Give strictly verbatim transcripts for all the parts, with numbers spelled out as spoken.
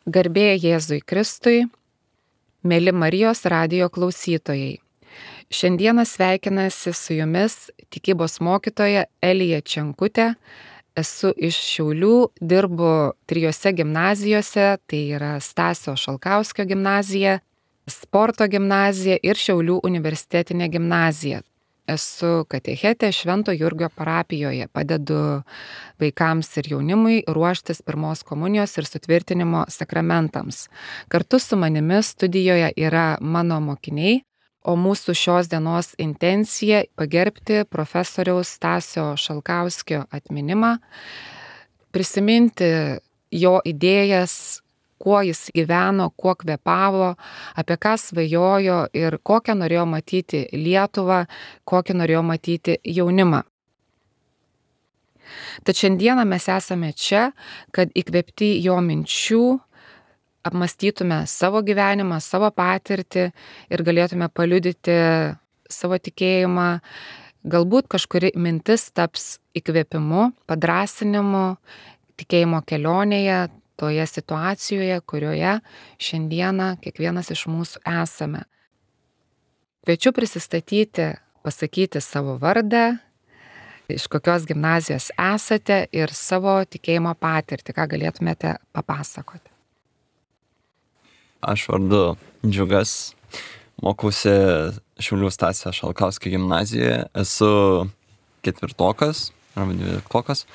Garbė Jėzui Kristui, mėly Marijos radijo klausytojai. Šiandieną sveikinasi su jumis tikybos mokytoja Elija Čenkutė. Esu iš Šiaulių, dirbu trijose gimnazijose, tai yra Stasio Šalkauskio gimnazija, Sporto gimnazija ir Šiaulių universitetinė gimnazija. Esu katechetė Švento Jurgio parapijoje, padedu vaikams ir jaunimui ruoštis pirmos komunijos ir sutvirtinimo sakramentams. Kartu su manimi studijoje yra mano mokiniai, o mūsų šios dienos intencija pagerbti profesoriaus Stasio Šalkauskio atminimą, prisiminti jo idėjas, kuo jis gyveno, kuo kvepavo, apie ką svajojo ir kokią norėjo matyti Lietuvą, kokį norėjo matyti jaunimą. Tad šiandieną mes esame čia, kad įkvėpti jo minčių apmąstytume savo gyvenimą, savo patirtį ir galėtume paliudyti savo tikėjimą. Galbūt kažkuri mintis taps įkvėpimu, padrąsinimu, tikėjimo kelionėje, toje situacijoje, kurioje šiandieną kiekvienas iš mūsų esame. Kviečiu prisistatyti, pasakyti savo vardą, iš kokios gimnazijos esate ir savo tikėjimo patirtį, ką galėtumėte papasakoti. Aš vardu Džiugas, mokausi Šiaulių Stasio Šalkauskio gimnazijoje, esu ketvirtokas arba dvyliktokas.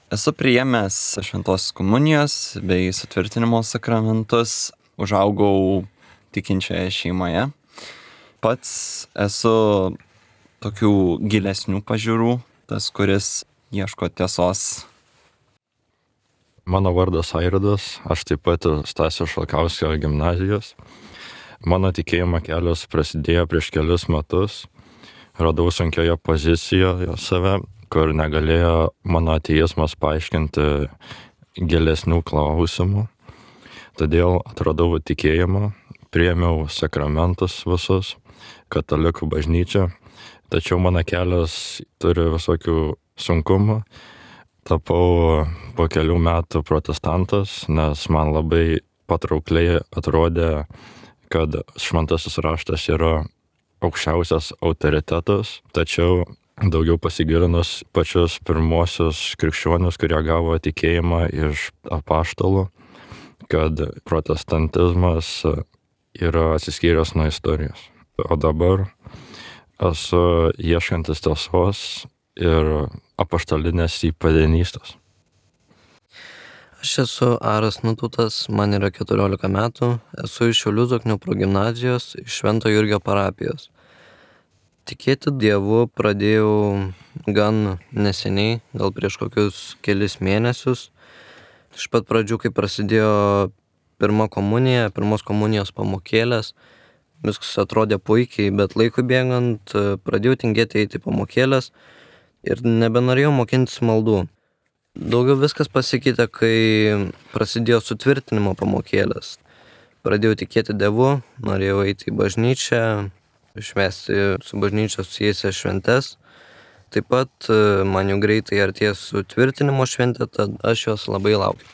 Esu priėmęs šventos komunijos bei sutvirtinimo sakramentus, užaugau tikinčioje šeimoje. Pats esu tokių gilesnių pažiūrų, tas, kuris ieško tiesos. Mano vardas Airidas, aš taip pat Stasio Šalkauskio gimnazijos. Mano tikėjimo kelias prasidėjo prieš kelius metus. Radau sunkioje pozicijoje save, kur negalėjo mano ateizmas paaiškinti gilesnių klausimų. Todėl atradau tikėjimą, priėmiau sakramentus visus, katalikų bažnyčią, tačiau mano kelias turi visokių sunkumų. Tapau po kelių metų protestantas, nes man labai patraukliai atrodė, kad šventasis raštas yra aukščiausias autoritetas, tačiau daugiau pasigilinus pačius pirmosius krikščionius, kurie gavo tikėjimą iš apaštalų, kad protestantizmas yra atsiskyręs nuo istorijos. O dabar esu ieškantis tiesos ir apaštalinės įpėdinystės. Aš esu Aras Nututas, man yra keturiolika metų, esu iš Šiaulių Zoknių progimnazijos, iš Švento Jurgio parapijos. Tikėti Dievu pradėjau gan neseniai, gal prieš kokius kelis mėnesius. Iš pat pradžių, kai prasidėjo pirma komunija, pirmos komunijos pamokėlės, viskas atrodė puikiai, bet laikui bėgant pradėjau tingėti eiti pamokėlės ir nebenorėjau mokintis maldų. Daugiau viskas pasikeitė, kai prasidėjo sutvirtinimo pamokėlės. Pradėjau tikėti Dievu, norėjau eiti į bažnyčią, švęsti su bažnyčia susijusias šventes. Taip pat man jau greitai artės sutvirtinimo šventė, tad aš jos labai laukiu.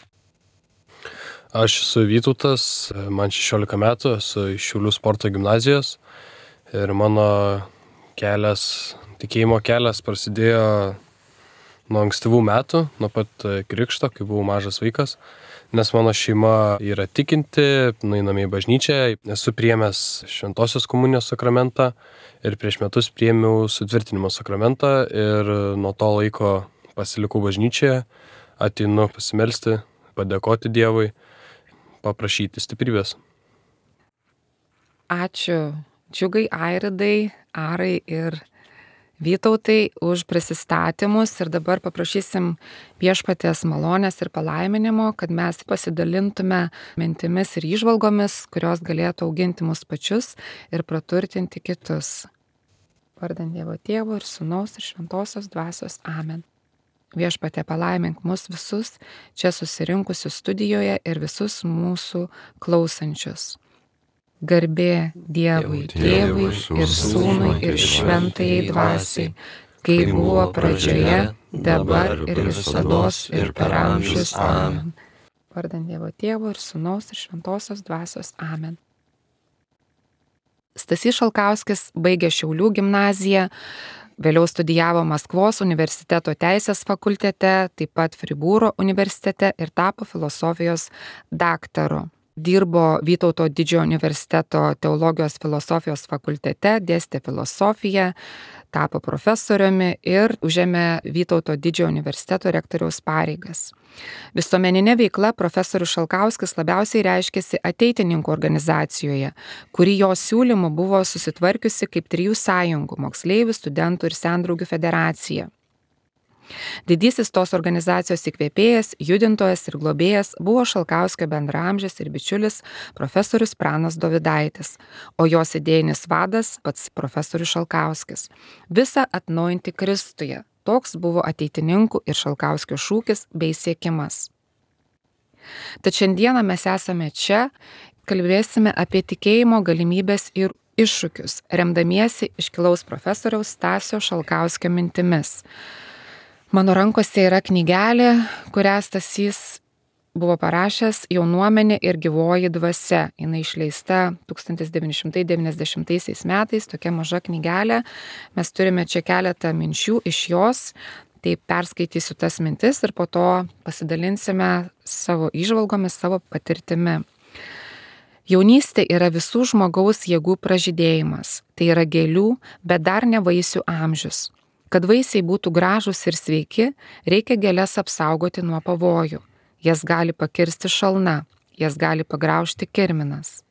Aš esu Vytautas, man šešiolika metų, esu iš Šiaulių sporto gimnazijos ir mano kelias, tikėjimo kelias prasidėjo nuo ankstyvų metų, nuo pat krikšto, kai buvau mažas vaikas. Nes mano šeima yra tikinti, nueiname į bažnyčią, esu priėmęs šventosios komunijos sakramentą ir prieš metus priėmiau sutvirtinimo sakramentą ir nuo to laiko pasilikau bažnyčioje, ateinu pasimelsti, padėkoti Dievui, paprašyti stiprybės. Ačiū Džiugai, Airidai, Arai ir Vytautai už prisistatymus ir dabar paprašysim Viešpaties malonės ir palaiminimo, kad mes pasidalintume mintimis ir įžvalgomis, kurios galėtų auginti mus pačius ir praturtinti kitus. Vardant Dievo Tėvo ir Sūnaus ir Šventosios Dvasios. Amen. Viešpatie palaimink mus visus čia susirinkusius studijoje ir visus mūsų klausančius. Garbė Dievui, Tėvui ir Sūnui ir Šventajai Dvasiai, kaip buvo pradžioje, dabar ir visados ir per amžius. Amen. vardant Dievo Tėvo ir Sūnaus ir Šventosios Dvasios. Amen. Stasys Šalkauskis baigė Šiaulių gimnaziją, vėliau studijavo Maskvos universiteto teisės fakultete, taip pat Fribūro universitete ir tapo filosofijos daktaru. Dirbo Vytauto Didžiojo universiteto teologijos filosofijos fakultete, dėstė filosofiją, tapo profesoriumi ir užėmė Vytauto Didžiojo universiteto rektoriaus pareigas. Visuomeninė veikla profesorius Šalkauskis labiausiai reiškėsi ateitininkų organizacijoje, kuri jo siūlymu buvo susitvarkiusi kaip trijų sąjungų - moksleivių, studentų ir sendraugių federacija. Didysis tos organizacijos įkvėpėjas, judintojas ir globėjas buvo Šalkauskio bendraamžis ir bičiulis profesorius Pranas Dovydaitis, o jos idėjinis vadas pats profesorius Šalkauskis. Visa atnaujinti Kristuje. Toks buvo ateitininkų ir Šalkauskio šūkis bei siekimas. Tad šiandieną mes esame čia, kalbėsime apie tikėjimo galimybės ir iššūkius, remdamiesi iškilaus profesoriaus Stasio Šalkauskio mintimis. Mano rankose yra knygelė, kurią Stasys buvo parašęs Jaunuomenė ir gyvoji dvasia. Jis išleista tūkstantis devyni šimtai devyniasdešimtaisiais metais, tokia maža knygelė. Mes turime čia keletą minčių iš jos, tai perskaitysiu tas mintis ir po to pasidalinsime savo įžvalgomis, savo patirtimi. Jaunystė yra visų žmogaus jėgų pražydėjimas. Tai yra gėlių, bet dar ne vaisių amžius. Kad vaisiai būtų gražūs ir sveiki, reikia gėles apsaugoti nuo pavojų. Jas gali pakirsti šalna, jas gali pagraužti kirminas.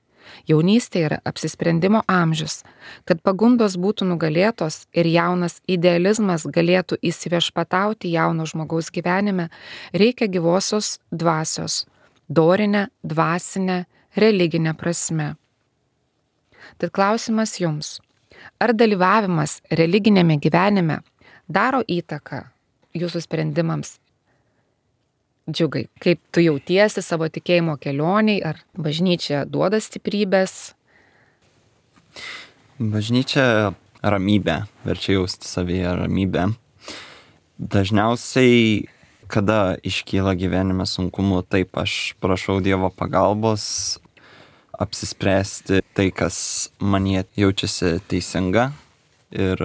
Jaunystė yra apsisprendimo amžius. Kad pagundos būtų nugalėtos ir jaunas idealizmas galėtų įsiviešpatauti jauno žmogaus gyvenime, reikia gyvosios dvasios, dorinę, dvasinę, religinę prasme. Tad klausimas jums. Ar dalyvavimas religinėme gyvenime daro įtaką jūsų sprendimams? Džiugai, kaip tu jautiesi savo tikėjimo kelioniai, ar bažnyčia duoda stiprybės? Bažnyčia ramybę, verčia jausti savyje ramybę. Dažniausiai, kada iškyla gyvenime sunkumų, taip aš prašau Dievo pagalbos apsispręsti tai, kas manyje jaučiasi teisinga ir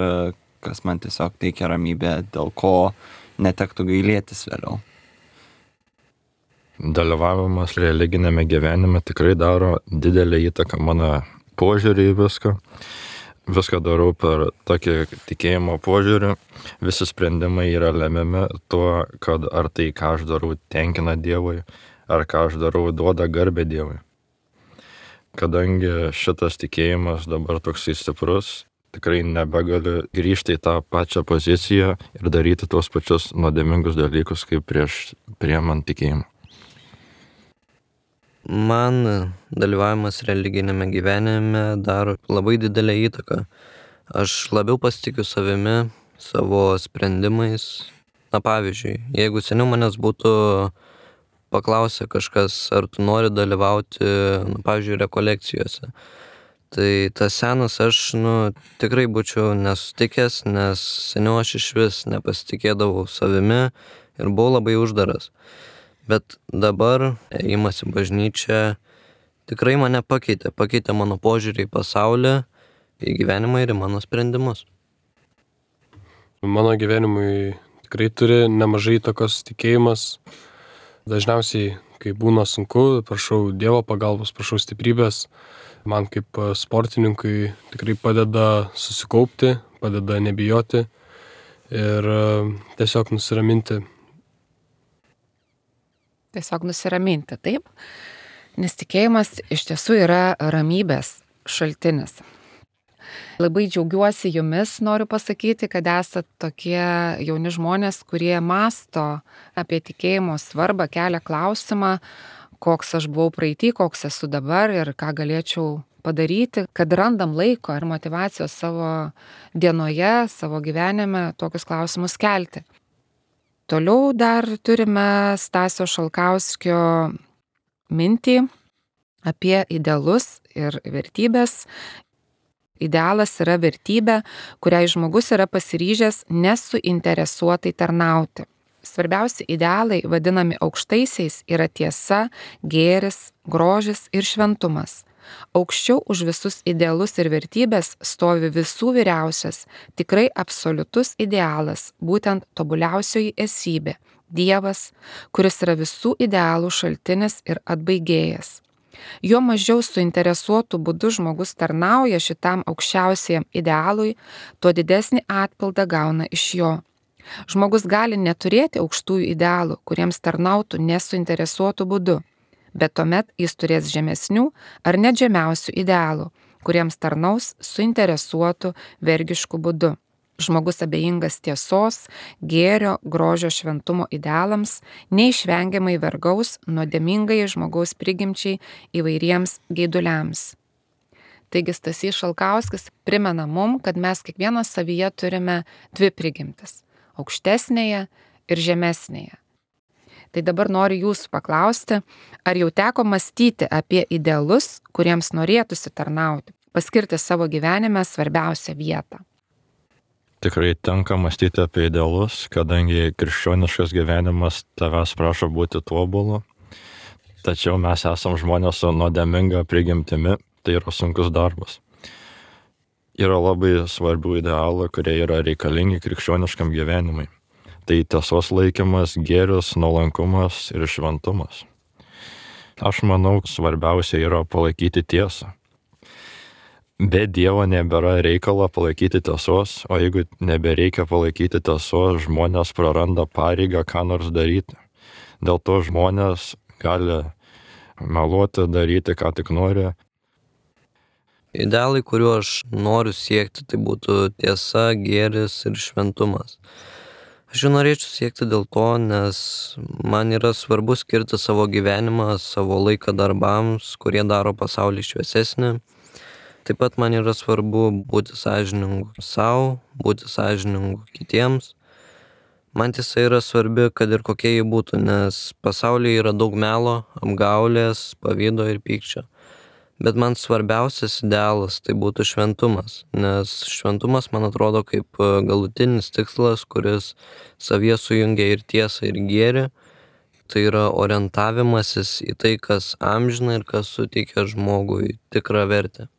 kas man tiesiog teikia ramybę, dėl ko netektų gailėtis vėliau. Dalyvavimas religinėme gyvenime tikrai daro didelę įtaką mano požiūrį į viską. Viską darau per tokį tikėjimo požiūrį. Visi sprendimai yra lemiami tuo, kad ar tai, ką aš darau, tenkina Dievui, ar ką aš darau, duoda garbę Dievui. Kadangi šitas tikėjimas dabar toksai stiprus, tikrai nebegaliu grįžti į tą pačią poziciją ir daryti tuos pačius nuodėmingus dalykus, kaip prieš priimant tikėjimą. Man dalyvavimas religinėme gyvenime daro labai didelę įtaką. Aš labiau pasitikiu savimi, savo sprendimais. Na pavyzdžiui, jeigu seniau manęs būtų paklausė kažkas, ar tu nori dalyvauti, na, pavyzdžiui, rekolekcijose, tai tas senas aš, nu, tikrai būčiau nesutikęs, nes seniau aš iš vis nepasitikėdavau savimi ir buvau labai uždaras. Bet dabar ėjimas į bažnyčią tikrai mane pakeitė, pakeitė mano požiūrį į pasaulį, į gyvenimą ir į mano sprendimus. Mano gyvenimui tikrai turi nemažai įtakos tikėjimas. Dažniausiai, kai būna sunku, prašau Dievo pagalbos, prašau stiprybės. Man kaip sportininkui tikrai padeda susikaupti, padeda nebijoti ir tiesiog nusiraminti. Tiesiog nusiraminti, taip? Nes tikėjimas iš tiesų yra ramybės šaltinis. Labai džiaugiuosi jumis, noriu pasakyti, kad esate tokie jauni žmonės, kurie masto apie tikėjimo svarbą, kelia klausimą, koks aš buvau praeity, koks esu dabar ir ką galėčiau padaryti, kad randam laiko ir motyvacijos savo dienoje, savo gyvenime tokius klausimus kelti. Toliau dar turime Stasio Šalkauskio mintį apie idealus ir vertybės. Idealas yra vertybė, kuriai žmogus yra pasiryžęs nesuinteresuotai tarnauti. svarbiausi idealai, vadinami aukštaisiais, yra tiesa, gėris, grožis ir šventumas. Aukščiau už visus idealus ir vertybės stovi visų vyriausias, tikrai absoliutus idealas, būtent tobuliausioji esybė – Dievas, kuris yra visų idealų šaltinis ir atbaigėjas. Jo mažiau suinteresuotų būdų žmogus tarnauja šitam aukščiausiam idealui, tuo didesnį atpildą gauna iš jo. Žmogus gali neturėti aukštųjų idealų, kuriems tarnautų nesuinteresuotų būdų, bet tuomet jis turės žemesnių ar net žemiausių idealų, kuriems tarnaus suinteresuotų vergiškų būdų. Žmogus abejingas tiesos, gėrio, grožio, šventumo idealams neišvengiamai vergaus nuodėmingai žmogaus prigimčiai įvairiems geiduliams. Taigi Stasys Šalkauskis primena mum, kad mes kiekvienas savyje turime dvi prigimtis – aukštesnėje ir žemesnėje. Tai dabar noriu jūsų paklausti, ar jau teko mąstyti apie idealus, kuriems norėtųsi tarnauti, paskirti savo gyvenime svarbiausią vietą? Tikrai tenka mąstyti apie idealus, kadangi krikščioniškas gyvenimas tavęs prašo būti tobulu, tačiau mes esam žmonės su nuodėminga prigimtimi, tai yra sunkus darbas. Yra labai svarbių idealų, kurie yra reikalingi krikščioniškam gyvenimui. Tai tiesos laikymas, gėris, nuolankumas ir šventumas. Aš manau, svarbiausia yra palaikyti tiesą. Be Dievo nebėra reikalo palaikyti tiesos, o jeigu nebereikia palaikyti tiesos, žmonės praranda pareigą ką nors daryti. Dėl to žmonės gali meluoti, daryti, ką tik nori. Idealai, kuriuo aš noriu siekti, tai būtų tiesa, gėris ir šventumas. Aš jų norėčiau siekti dėl to, nes man yra svarbu skirti savo gyvenimą, savo laiką darbams, kurie daro pasaulį šviesesnį. Taip pat man yra svarbu būti sąžiningu savo, būti sąžiningu kitiems. Man tiesa yra svarbi, kad ir kokie jie būtų, nes pasaulyje yra daug melo, apgaulės, pavydo ir pykčio. Bet man svarbiausias idealas tai būtų šventumas, nes šventumas man atrodo kaip galutinis tikslas, kuris savyje sujungia ir tiesą, ir gėrį. Tai yra orientavimasis į tai, kas amžina ir kas suteikia žmogui tikrą vertę.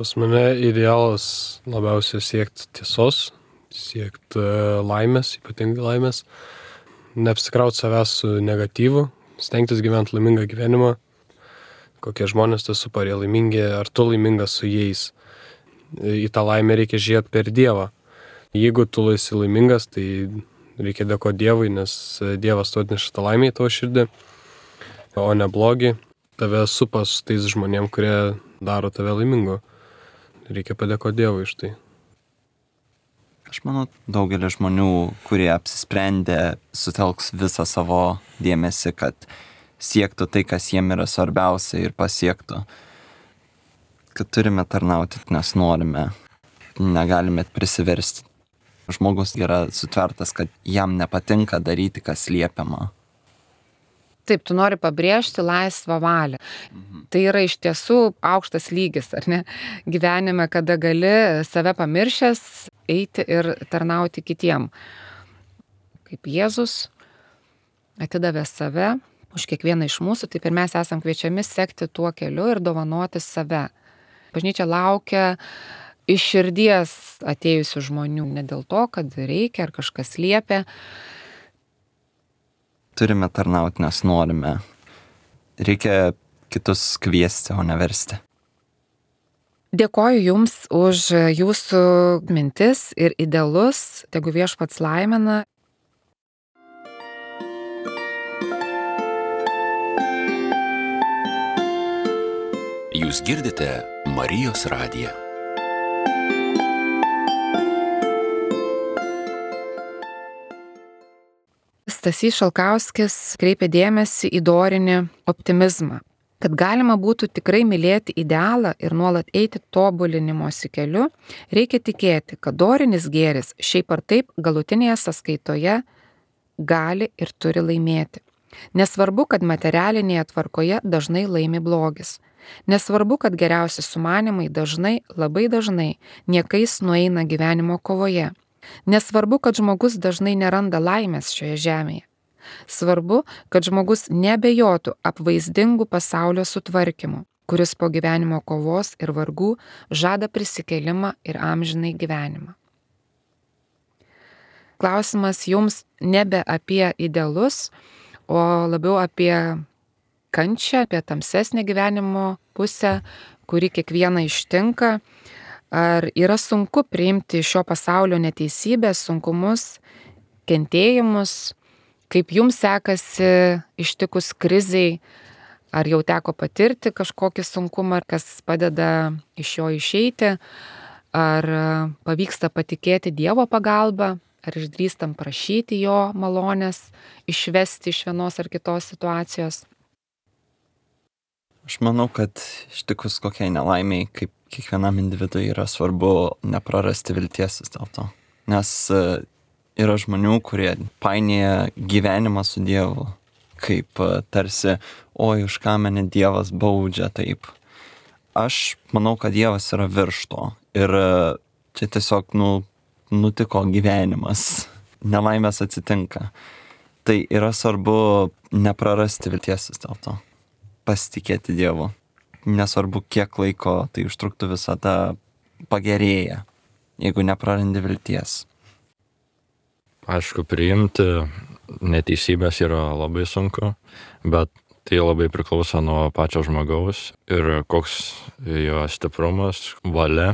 Pas mane idealas labiausiai siekti tiesos, siekti laimės, ypatingai laimės, neapsikrauti savęs su negatyvu, stengtis gyventi laimingą gyvenimą, kokie žmonės tu supa, jie laimingi, ar tu laimingas su jais. Į tą laimę reikia žiūrėti per Dievą. Jeigu tu esi laimingas, tai reikia dėkoti Dievui, nes Dievas tu atneša tą laimę į tavo širdį, o ne blogį. Tave supa su tais žmonėm, kurie daro tave laimingu. Reikia padėkoti Dievui iš tai. Aš manau, daugelis žmonių, kurie apsisprendė, sutelks visą savo dėmesį, kad siektų tai, kas jiem yra svarbiausia ir pasiektų. Kad turime tarnauti, nes norime, negalime prisiversti. Žmogus yra sutvertas, kad jam nepatinka daryti, kas liepiama. Taip, tu nori pabrėžti laisvą valią. Mhm. Tai yra iš tiesų aukštas lygis, ar ne? Gyvenime, kada gali save pamiršęs eiti ir tarnauti kitiem. Kaip Jėzus atidavė save už kiekvieną iš mūsų, taip ir mes esam kviečiami sekti tuo keliu ir dovanoti save. Bažnyčia laukia iš širdies atėjusių žmonių, ne dėl to, kad reikia ar kažkas liepia. Turime tarnauti, nes norime. Reikia kitus kviesti, o ne versti. Dėkoju Jums už Jūsų mintis ir idealus, tegu Viešpats laimina. Jūs girdite Marijos radiją. Stasys Šalkauskis kreipia dėmesį į dorinį optimizmą, kad galima būtų tikrai mylėti idealą ir nuolat eiti tobulinimosi keliu, reikia tikėti, kad dorinis gėris šiaip ar taip galutinėje sąskaitoje gali ir turi laimėti. Nesvarbu, kad materialinėje tvarkoje dažnai laimi blogis. Nesvarbu, kad geriausi sumanimai dažnai, labai dažnai niekais nueina gyvenimo kovoje. Nesvarbu, kad žmogus dažnai neranda laimės šioje žemėje. Svarbu, kad žmogus nebejotų apvaizdingų pasaulio sutvarkymu, kuris po gyvenimo kovos ir vargų žada prisikėlimą ir amžinai gyvenimą. Klausimas jums nebe apie idealus, o labiau apie kančią, apie tamsesnę gyvenimo pusę, kuri kiekvieną ištinka. Ar yra sunku priimti šio pasaulio neteisybės, sunkumus, kentėjimus, kaip jums sekasi ištikus krizei, ar jau teko patirti kažkokį sunkumą, kas padeda iš jo išeiti, ar pavyksta patikėti Dievo pagalbą, ar išdrįstam prašyti jo malonės, išvesti iš vienos ar kitos situacijos. Aš manau, kad ištikus kokiai nelaimiai, kaip kiekvienam individui yra svarbu neprarasti vilties vis dėlto. Nes yra žmonių, kurie painėja gyvenimą su Dievu, kaip tarsi, oi, už ką mane Dievas baudžia taip. Aš manau, kad Dievas yra virš to. Ir čia tiesiog, nu, nutiko gyvenimas. Nelaimės atsitinka. Tai yra svarbu neprarasti vilties vis dėlto. Pasitikėti Dievu. Nesvarbu, kiek laiko tai užtruktų, visada pagerėja, jeigu neprarandi vilties. Aišku, priimti neteisybės yra labai sunku, bet tai labai priklauso nuo pačio žmogaus ir koks jo stiprumas, valia.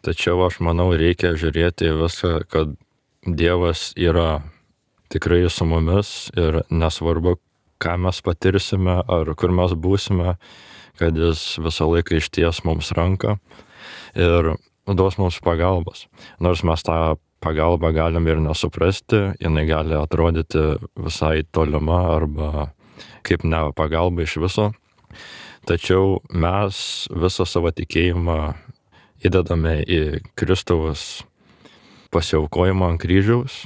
Tačiau aš manau, reikia žiūrėti viską, kad Dievas yra tikrai su mumis ir nesvarbu, ką mes patirsime ar kur mes būsime, kad jis visą laiką išties mums ranką ir duos mums pagalbos. Nors mes tą pagalbą galim ir nesuprasti, jinai gali atrodyti visai tolima arba kaip ne pagalba iš viso. Tačiau mes visą savo tikėjimą įdedame į Kristaus pasiaukojimą ant kryžiaus.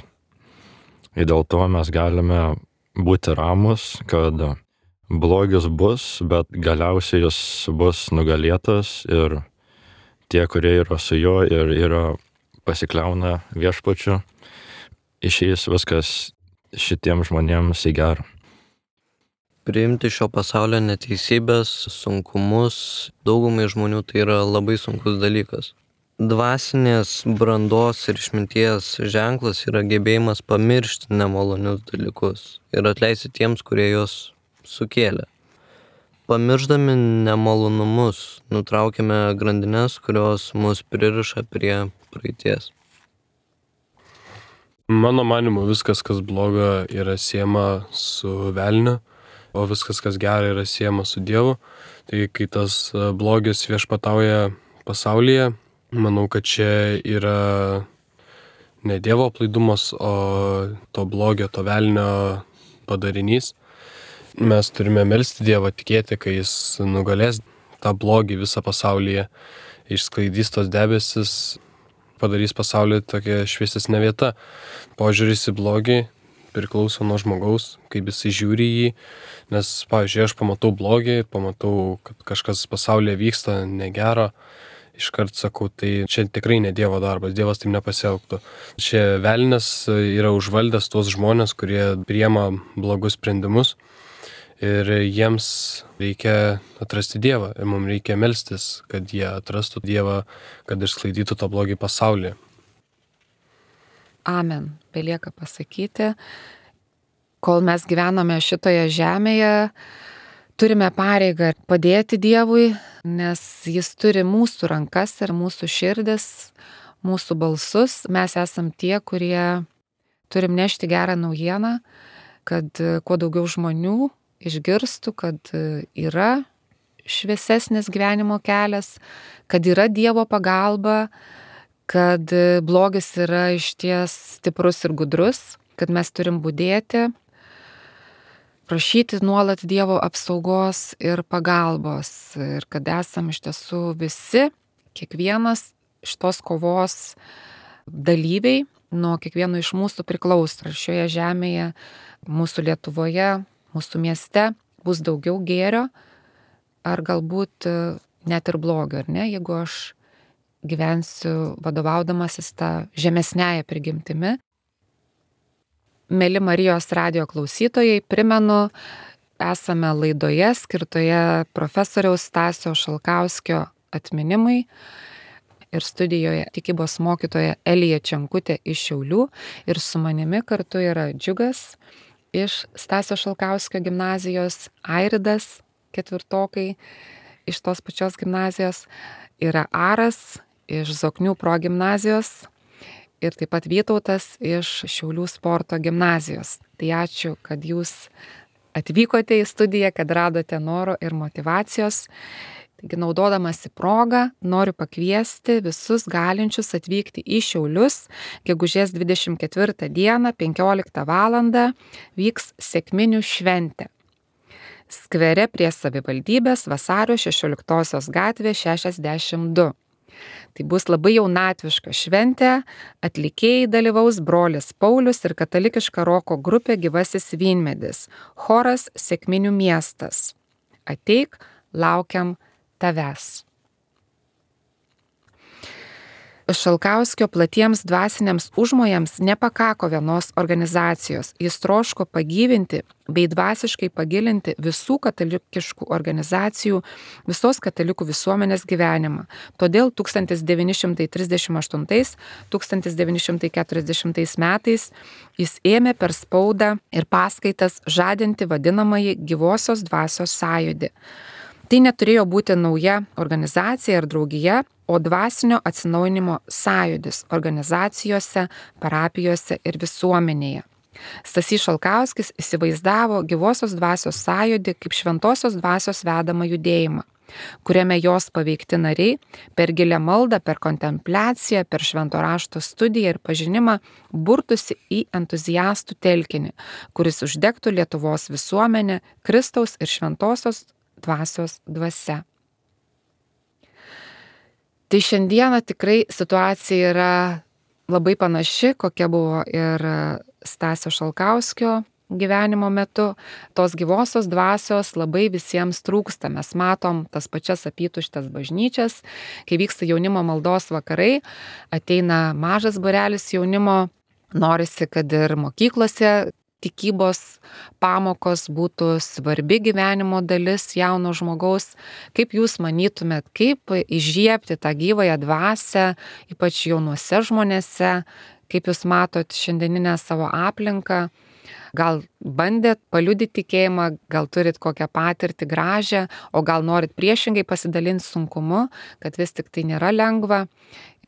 Ir dėl to mes galime būti ramus, kad blogis bus, bet galiausiai jis bus nugalėtas ir tie, kurie yra su juo ir yra pasikliauna viešpačiu, išeis viskas šitiems žmonėms į gerą. Priimti šio pasaulio neteisybės, sunkumus, daugumai žmonių tai yra labai sunkus dalykas. Dvasinės brandos ir išminties ženklas yra gebėjimas pamiršti nemalonius dalykus ir atleisti tiems, kurie juos sukėlė. Pamirždami nemalonumus, nutraukime grandines, kurios mus pririša prie praeities. Mano manimu, viskas, kas bloga, yra siejama su velniu, o viskas, kas gera, yra siejama su Dievu. Tai kai tas blogis viešpatauja pasaulyje, manau, kad čia yra ne Dievo aplaidumas, o to blogio, to velnio padarinys. Mes turime melsti Dievą, tikėti, kai jis nugalės tą blogį visą pasaulyje, išsklaidys tos debesis, padarys pasaulį tokia šviesesnė vieta. Požiūris į blogį priklauso nuo žmogaus, kaip jisai žiūri jį, nes, pavyzdžiui, aš pamatau blogį, pamatau, kad kažkas pasaulyje vyksta negero, iškart sakau, tai čia tikrai ne Dievo darbas, Dievas taip nepasielgtų. Čia velnias yra užvaldęs tuos žmonės, kurie priema blogus sprendimus ir jiems reikia atrasti Dievą ir mums reikia melstis, kad jie atrastų Dievą, kad išsklaidytų tą blogį pasaulyje. Amen. Belieka pasakyti, kol mes gyvename šitoje žemėje, turime pareigą padėti Dievui, nes jis turi mūsų rankas ir mūsų širdis, mūsų balsus. Mes esam tie, kurie turim nešti gerą naujieną, kad kuo daugiau žmonių išgirstų, kad yra šviesesnis gyvenimo kelias, kad yra Dievo pagalba, kad blogis yra išties stiprus ir gudrus, kad mes turim budėti, prašyti nuolat Dievo apsaugos ir pagalbos ir kad esam iš tiesų visi, kiekvienas šitos kovos dalyviai, nuo kiekvieno iš mūsų priklauso. Ar šioje žemėje, mūsų Lietuvoje, mūsų mieste bus daugiau gėrio, ar galbūt net ir blogio, ar ne? Jeigu aš gyvensiu vadovaudamasis tą žemesnėje prigimtimi. Mėly Marijos radijo klausytojai, primenu, esame laidoje skirtoje profesoriaus Stasio Šalkauskio atminimui ir studijoje tikybos mokytoja Elija Čenkutė iš Šiaulių ir su manimi kartu yra Džiugas iš Stasio Šalkauskio gimnazijos, Airidas ketvirtokai iš tos pačios gimnazijos, yra Aras iš Zoknių progimnazijos ir taip pat Vytautas iš Šiaulių sporto gimnazijos. Tai ačiū, kad jūs atvykote į studiją, kad radote noro ir motyvacijos. Taigi, naudodamasi progą, noriu pakviesti visus galinčius atvykti į Šiaulius. Gegužės dvidešimt ketvirtą dieną, penkioliktą valandą, vyks sekminių šventė. Skvere prie savivaldybės Vasario šešioliktosios gatvė šešiasdešimt du. Tai bus labai jaunatviška šventė, atlikėjai dalyvaus brolis Paulius ir katalikiška roko grupė Gyvasis Vynmedis, choras Sekminių miestas. Ateik, laukiam tavęs. Šalkauskio platiems dvasiniams užmojams nepakako vienos organizacijos. Jis troško pagyvinti bei dvasiškai pagilinti visų katalikiškų organizacijų, visos katalikų visuomenės gyvenimą. Todėl tūkstantis devyni šimtai trisdešimt aštuntais - tūkstantis devyni šimtai keturiasdešimtais metais jis ėmė per spaudą ir paskaitas žadinti vadinamąjį gyvosios dvasios sąjūdį. Tai neturėjo būti nauja organizacija ar draugija, o dvasinio atsinaujinimo sąjūdis organizacijose, parapijose ir visuomenėje. Stasys Šalkauskis įsivaizdavo gyvosios dvasios sąjūdį kaip šventosios dvasios vedamą judėjimą, kuriame jos paveikti nariai per gilią maldą, per kontempliaciją, per švento rašto studiją ir pažinimą burtųsi į entuziastų telkinį, kuris uždegtų Lietuvos visuomenę Kristaus ir šventosios dvasios dvasia. Tai šiandieną tikrai situacija yra labai panaši, kokia buvo ir Stasio Šalkauskio gyvenimo metu. Tos gyvosios dvasios labai visiems trūksta. Mes matom tas pačias apytuštes bažnyčias, kai vyksta jaunimo maldos vakarai, ateina mažas būrelis jaunimo, norisi, kad ir mokyklose tikybos pamokos būtų svarbi gyvenimo dalis jauno žmogaus. Kaip jūs manytumėt, kaip įžiebti tą gyvąją dvasią, ypač jaunuose žmonėse, kaip jūs matot šiandieninę savo aplinką, gal bandėt paliudyti tikėjimą, gal turit kokią patirtį gražią, o gal norit priešingai pasidalinti sunkumu, kad vis tik tai nėra lengva,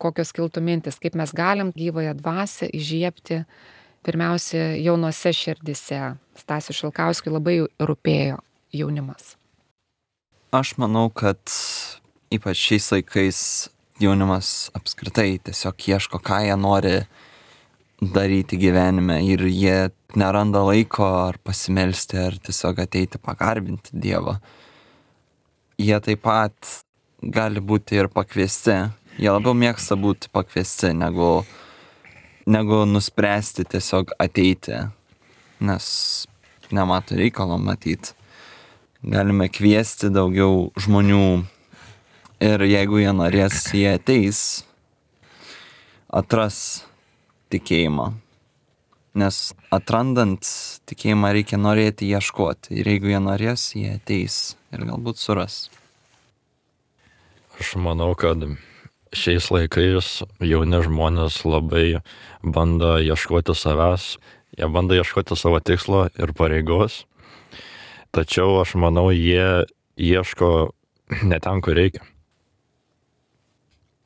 kokios kiltų mintis, kaip mes galim gyvąją dvasią įžiebti pirmiausia jaunuose širdise. Stasiui Šalkauskiui labai rūpėjo jaunimas. Aš manau, kad ypač šiais laikais jaunimas apskritai tiesiog ieško, ką jie nori daryti gyvenime ir jie neranda laiko ar pasimelsti, ar tiesiog ateiti pagarbinti Dievą. Jie taip pat gali būti ir pakviesti. Jie labiau mėgsta būti pakviesti, negu negu nuspręsti tiesiog ateiti, nes nemato reikalo matyti. Galime kviesti daugiau žmonių ir jeigu jie norės, jie ateis, atras tikėjimą. Nes atrandant tikėjimą reikia norėti ieškoti ir jeigu jie norės, jie ateis ir galbūt suras. Aš manau, kad šiais laikais jauni žmonės labai bando ieškoti savęs, jie bando ieškoti savo tikslo ir pareigos, tačiau aš manau, jie ieško ne ten, kur reikia.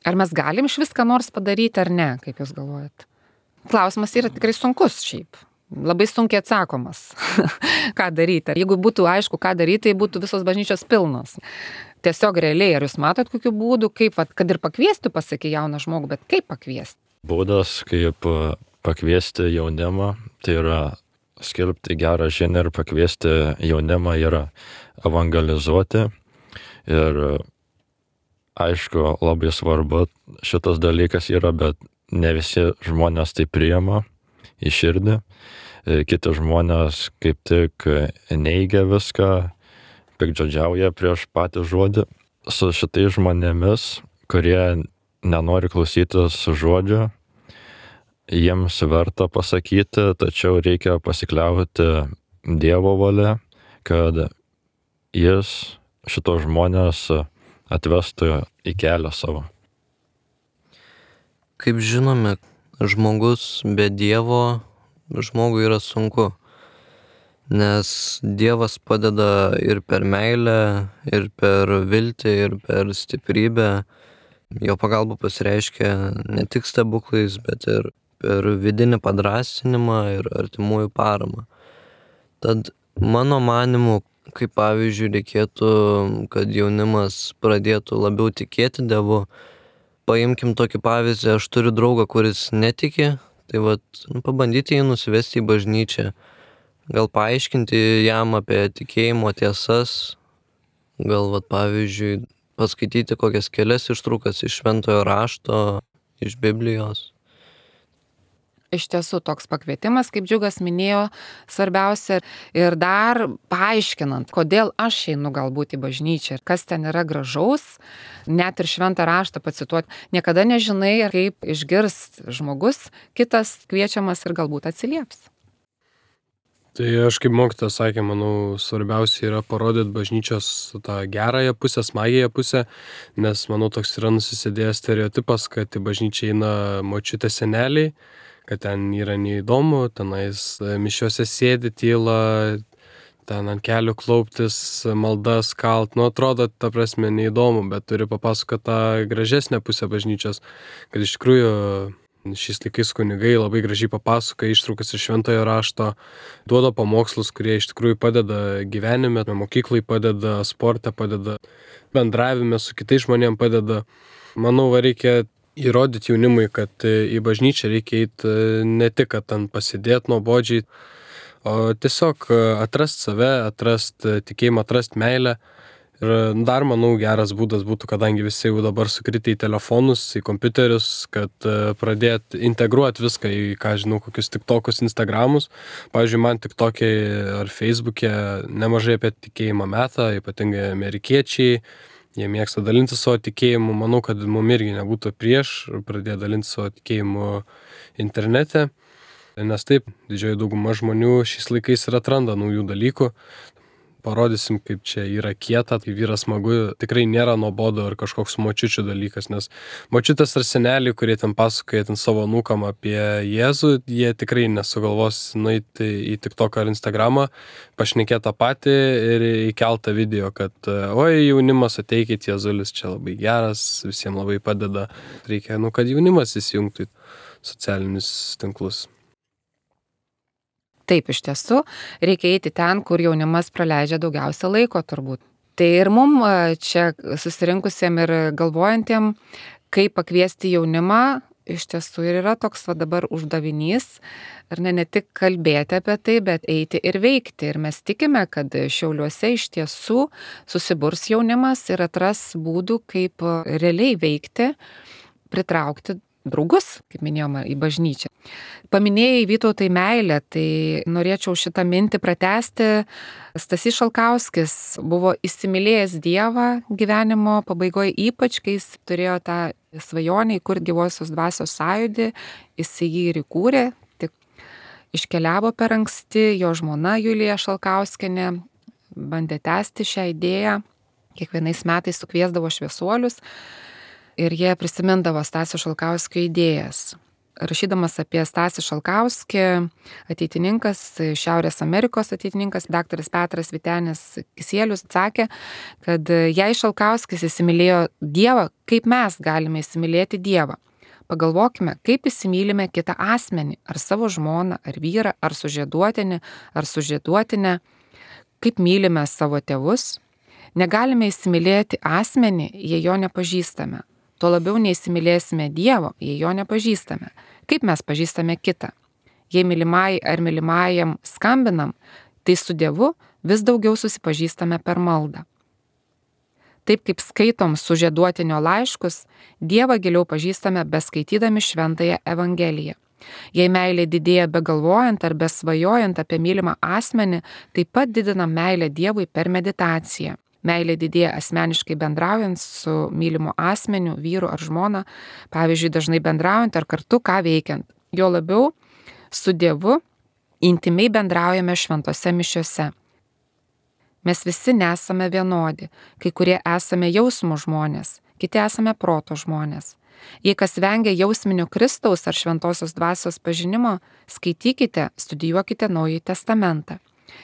Ar mes galim iš viską nors padaryti ar ne, kaip jūs galvojat? Klausimas yra tikrai sunkus šiaip, labai sunkiai atsakomas, ką daryti. Jeigu būtų aišku, ką daryti, tai būtų visos bažnyčios pilnos. Tiesiog realiai, ar jūs matot kokių būdų, kaip, vat, kad ir pakviesti, pasakė jauną žmogų, bet kaip pakviesti? Būdas, kaip pakviesti jaunimą, tai yra skelbti gerą žinią ir pakviesti jaunimą yra evangelizuoti. Ir aišku, labai svarbu šitas dalykas yra, bet ne visi žmonės tai priima į širdį. Kiti žmonės kaip tik neigia viską, piktžodžiauja prieš patį žodį. Su šitais žmonėmis, kurie nenori klausytis žodžio, jiems verta pasakyti, tačiau reikia pasikliauti Dievo valia, kad jis šitos žmonės atvestų į kelią savo. Kaip žinome, žmogus be Dievo žmogui yra sunku, nes Dievas padeda ir per meilę, ir per viltį, ir per stiprybę. Jo pagalba pasireiškia ne tik stebuklais, bet ir per vidinį padrąsinimą ir artimųjų paramą. Tad mano manimu, kaip pavyzdžiui, reikėtų, kad jaunimas pradėtų labiau tikėti Dievu. Paimkim tokį pavyzdį, aš turiu draugą, kuris netiki, tai vat, nu, pabandyti jį nusivesti į bažnyčią, gal paaiškinti jam apie tikėjimo tiesas, gal vat, pavyzdžiui, paskaityti kokias kelias ištraukas iš šventojo rašto, iš Biblijos. Iš tiesų toks pakvietimas, kaip Džiugas minėjo, svarbiausia ir dar paaiškinant, kodėl aš einu galbūt į bažnyčią ir kas ten yra gražaus, net ir šventą raštą pacituoti. Niekada nežinai, kaip išgirs žmogus, kitas kviečiamas ir galbūt atsilieps. Tai aš kaip mokytojas sakė, manau, svarbiausia yra parodyti bažnyčios tą gerąją pusę, smagiąją pusę, nes, manau, toks yra nusisėdėjęs stereotipas, kad į bažnyčią eina močiutė seneliai, kad ten yra neįdomu, tenais mišiuose sėdi tyla, ten ant kelių klauptis, maldas kalt, nu atrodo, ta prasme, neįdomu, bet turi papasakoti tą gražesnę pusę bažnyčios, kad iš tikrųjų šiais laikais kunigai labai gražiai papasakoja ištraukas iš šventojo rašto, duoda pamokslus, kurie iš tikrųjų padeda gyvenime, mokyklai padeda, sporte padeda, bendravime su kitais žmonėm padeda. Manau, va, reikia įrodyti jaunimui, kad į bažnyčią reikia eiti ne tik, kad ten pasidėti nuobodžiai, o tiesiog atrasti save, atrasti tikėjimą, atrasti meilę. Ir dar, manau, geras būdas būtų, kadangi visi jau dabar sukritę į telefonus, į kompiuterius, kad pradėti integruoti viską į, ką žinau, kokius tiktokus, instagramus. Pavyzdžiui, man tiktokė ar feisbuke nemažai apie tikėjimą meta, ypatingai amerikiečiai. Jie mėgsta dalinti savo tikėjimu. Manau, kad mums irgi nebūtų prieš pradėti dalinti savo tikėjimu internete. Nes taip, didžioji dauguma žmonių šiais laikais ir atranda naujų dalykų. Parodysim, kaip čia yra kieta, kaip yra smagu. Tikrai nėra nuobodu ar kažkoks močiučių dalykas, nes močiutės ar seneliai, kurie ten pasakoja ten savo anūkam apie Jėzų, jie tikrai nesugalvos nueiti į TikToką ar Instagramą, pašnekėti tą patį ir įkeltą video, kad oi, jaunimas, ateikit, Jėzulis čia labai geras, visiems labai padeda. Reikia, nu, kad jaunimas įsijungtų į socialinius tinklus. Taip, iš tiesų, reikia eiti ten, kur jaunimas praleidžia daugiausia laiko turbūt. Tai ir mum čia susirinkusiem ir galvojantiem, kaip pakviesti jaunimą, iš tiesų ir yra toks va dabar uždavinys, ir ne, ne tik kalbėti apie tai, bet eiti ir veikti. Ir mes tikime, kad Šiauliuose iš tiesų susiburs jaunimas ir atras būdų, kaip realiai veikti, pritraukti draugus, kaip minėjome, į bažnyčią. Paminėjai Vytautai meilę, tai norėčiau šitą mintį pratęsti. Stasys Šalkauskis buvo įsimylėjęs Dievą gyvenimo pabaigoje, ypač kai jis turėjo tą svajonę įkurti gyvosios dvasios sąjūdį, jis jį ir įkūrė, tik iškeliavo per anksti, jo žmona Julija Šalkauskienė bandė tęsti šią idėją, kiekvienais metais sukviesdavo šviesuolius, ir jie prisimindavo Stasio Šalkauskio idėjas. Rašydamas apie Stasį Šalkauskį, ateitininkas, Šiaurės Amerikos ateitininkas, daktaras Petras Vytenis Kisielius sakė, kad jei Šalkauskis įsimylėjo Dievą, kaip mes galime įsimylėti Dievą? Pagalvokime, kaip įsimylime kitą asmenį, ar savo žmoną, ar vyrą, ar sužieduotinį, ar sužieduotinę, kaip mylime savo tėvus. Negalime įsimylėti asmenį, jei jo nepažįstame. Tuo labiau neįsimylėsime Dievo, jei jo nepažįstame. Kaip mes pažįstame kitą? Jei mylimai ar mylimajam skambinam, tai su Dievu vis daugiau susipažįstame per maldą. Taip kaip skaitom sužieduotinio laiškus, Dievą giliau pažįstame beskaitydami šventąją Evangeliją. Jei meilė didėja begalvojant ar besvajojant apie mylimą asmenį, taip pat didinam meilę Dievui per meditaciją. Meilė didėja asmeniškai bendraujant su mylimu asmeniu, vyru ar žmona, pavyzdžiui, dažnai bendraujant ar kartu ką veikiant. Jo labiau su Dievu intimiai bendraujame šventose mišiose. Mes visi nesame vienodi, kai kurie esame jausmų žmonės, kiti esame proto žmonės. Jei kas vengia jausminio Kristaus ar šventosios dvasios pažinimo, skaitykite, studijuokite Naująjį testamentą.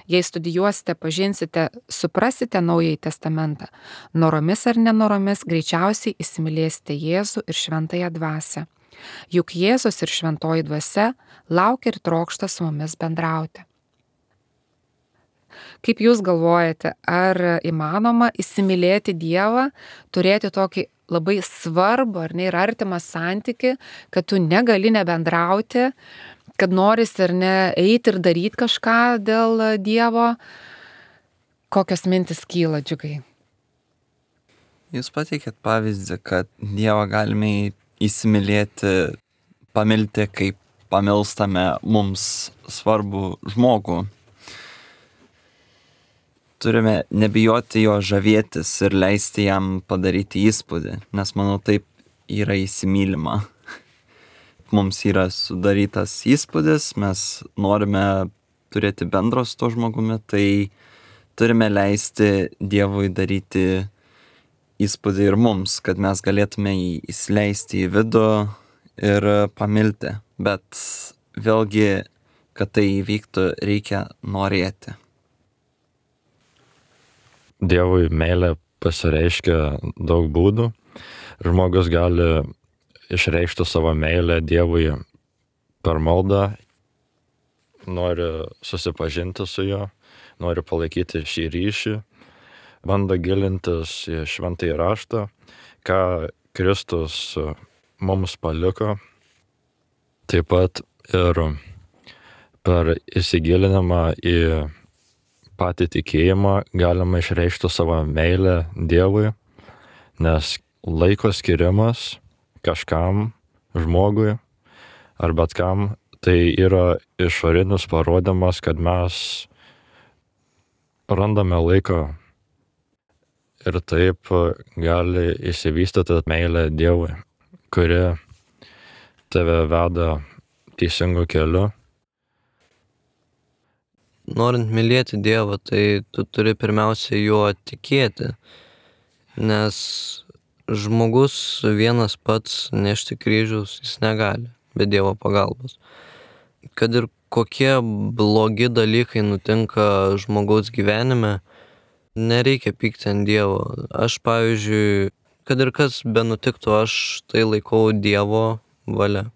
Jei studijuosite, pažinsite, suprasite Naująjį testamentą, noromis ar nenoromis greičiausiai įsimylėsite Jėzų ir šventąją dvasią. Juk Jėzus ir šventoji dvasia laukia ir trokšta su mumis bendrauti. Kaip jūs galvojate, ar įmanoma įsimylėti Dievą, turėti tokį labai svarbų ar ne ir artimą santykį, kad tu negali nebendrauti, kad norisi ar ne eiti ir daryti kažką dėl Dievo? Kokios mintis kyla, Džiugai? Jūs pateikėt pavyzdį, kad Dievą galime įsimylėti, pamilti, kaip pamilstame mums svarbų žmogų. Turime nebijoti jo žavėtis ir leisti jam padaryti įspūdį, nes manau taip yra įsimylima. Mums yra sudarytas įspūdis, mes norime turėti bendro su tuo žmogumi, tai turime leisti Dievui daryti įspūdį ir mums, kad mes galėtume jį įsileisti į vidų ir pamilti. Bet vėlgi, kad tai įvyktų, reikia norėti. Dievui meilė pasireiškia daug būdų. Žmogus gali išreikšti savo meilę Dievui per maldą, nori susipažinti su juo, nori palaikyti šį ryšį, bando gilintis į šventąjį raštą, ką Kristus mums paliko. Taip pat ir per įsigilinimą į patį tikėjimą galima išreikšti savo meilę Dievui, nes laiko skirimas kažkam, žmogui ar bet kam, tai yra išorinis parodymas, kad mes randame laiko ir taip gali išsivystyti meilė Dievui, kuri tave veda teisingu keliu. Norint mylėti Dievą, tai tu turi pirmiausia juo tikėti, nes žmogus vienas pats nešti kryžiaus jis negali be Dievo pagalbos. Kad ir kokie blogi dalykai nutinka žmogaus gyvenime, nereikia pykti ant Dievo. Aš, pavyzdžiui, kad ir kas benutiktų, aš tai laikau Dievo valia.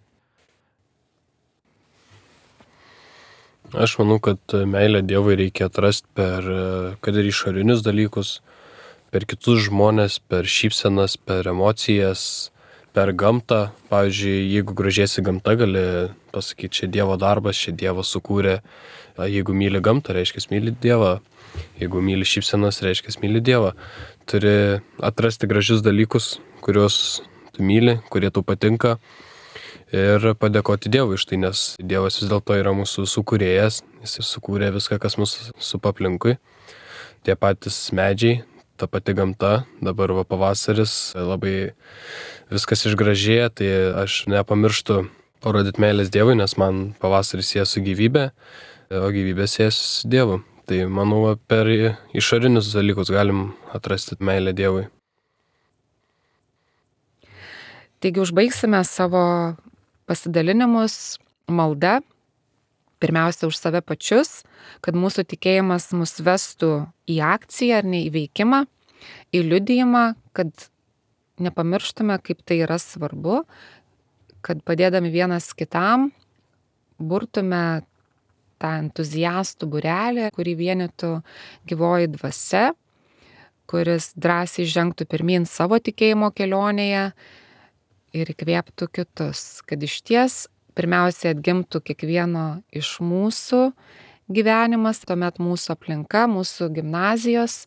Aš manau, kad meilę Dievui reikia atrasti per, kad ir išorinius dalykus, per kitus žmonės, per šypsenas, per emocijas, per gamtą. Pavyzdžiui, jeigu gražiesi gamta, gali pasakyti, čia Dievo darbas, čia Dievas sukūrė. Jeigu myli gamtą, reiškia myli Dievą. Jeigu myli šypsenas, reiškia myli Dievą. Turi atrasti gražius dalykus, kuriuos tu myli, kurie tau patinka. Ir padėkoti Dievui iš tai, nes Dievas vis dėlto yra mūsų sukūrėjas, jis sukūrė viską, kas mūsų supa aplinkui. Tie patys medžiai, ta pati gamta, dabar va pavasaris, labai viskas išgražėja, tai aš nepamirštu parodyti meilės Dievui, nes man pavasaris sieja su gyvybė, o gyvybė sieja su Dievu. Tai manau, per išorinius dalykus galim atrasti meilę Dievui. Taigi užbaigsime savo pasidalinimus malda, pirmiausia už save pačius, kad mūsų tikėjimas mus vestų į akciją ar ne į veikimą, į liudijimą, kad nepamirštume, kaip tai yra svarbu, kad padėdami vienas kitam burtume tą entuziastų būrelį, kurį vienytų gyvoji dvasia, kuris drąsiai žengtų pirmyn savo tikėjimo kelionėje ir įkvėptų kitus, kad iš ties pirmiausia atgimtų kiekvieno iš mūsų gyvenimas, tuomet mūsų aplinka, mūsų gimnazijos,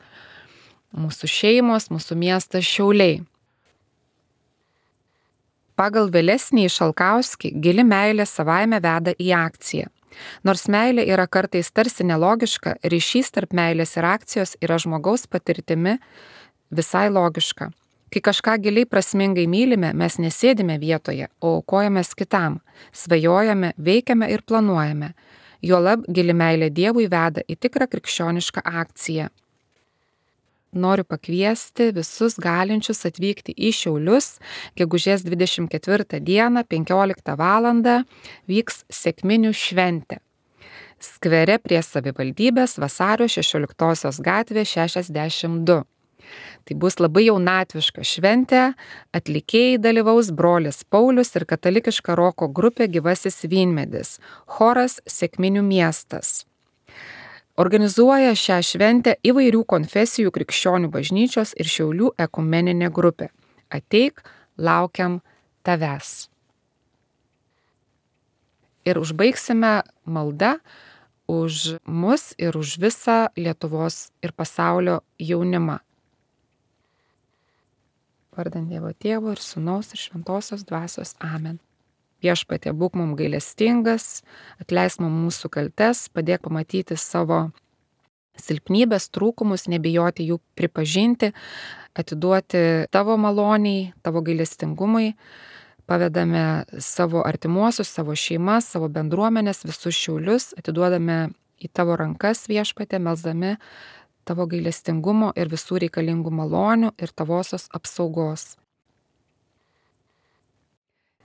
mūsų šeimos, mūsų miestas Šiauliai. Pagal vėlesnį Šalkauskį, gili meilė savaime veda į akciją. Nors meilė yra kartais tarsi nelogiška, ryšys tarp meilės ir akcijos yra žmogaus patirtimi visai logiška. Kai kažką giliai prasmingai mylime, mes nesėdime vietoje, o aukojamės kitam, svajojame, veikiame ir planuojame. Juolab gili meilė Dievui veda į tikrą krikščionišką akciją. Noriu pakviesti visus galinčius atvykti į Šiaulius. Gegužės dvidešimt ketvirtą dieną, penkioliktą valandą, vyks sekminių šventė. Skvere prie savivaldybės Vasario šešioliktosios gatvė šešiasdešimt du. Tai bus labai jaunatviška šventė, atlikėjai dalyvaus brolis Paulius ir katalikiška roko grupė Gyvasis Vynmedis, choras Sekminių miestas. Organizuoja šią šventę įvairių konfesijų krikščionių bažnyčios ir Šiaulių ekumeninė grupė. Ateik, laukiam tavęs. Ir užbaigsime maldą už mus ir už visą Lietuvos ir pasaulio jaunimą. Vardant Dievo Tėvo ir Sūnaus ir Šventosios Dvasios. Amen. Viešpatie, būk mums gailestingas, atleisk mums mūsų kaltes, padėk pamatyti savo silpnybės, trūkumus, nebijoti jų pripažinti, atiduoti tavo maloniai, tavo gailestingumui. Pavedame savo artimuosius, savo šeimas, savo bendruomenės, visus Šiaulius, atiduodame į tavo rankas, Viešpatie, melsdami tavo gailestingumo ir visų reikalingų malonių ir tavosios apsaugos.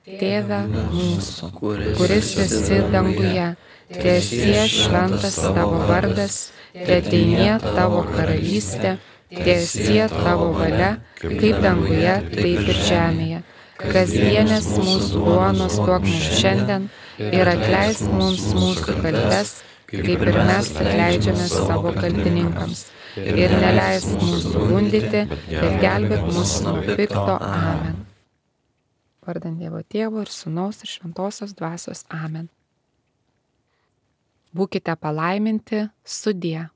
Tėve mūsų, kuris esi danguje, teesie šventas tavo vardas, teateinie tavo karalystė, teesie tavo valia, kaip danguje, taip ir žemėje. Kasdienės mūsų duonos duok mums šiandien ir atleisk mums mūsų kaltes, kaip ir mes atleidžiame savo kaltininkams. Ir neleisk mūsų gundyti, bet gelbėk mus nuo pikto. Amen. Vardant Dievo Tėvo ir Sūnaus ir Šventosios Dvasios. Amen. Būkite palaiminti, sudie.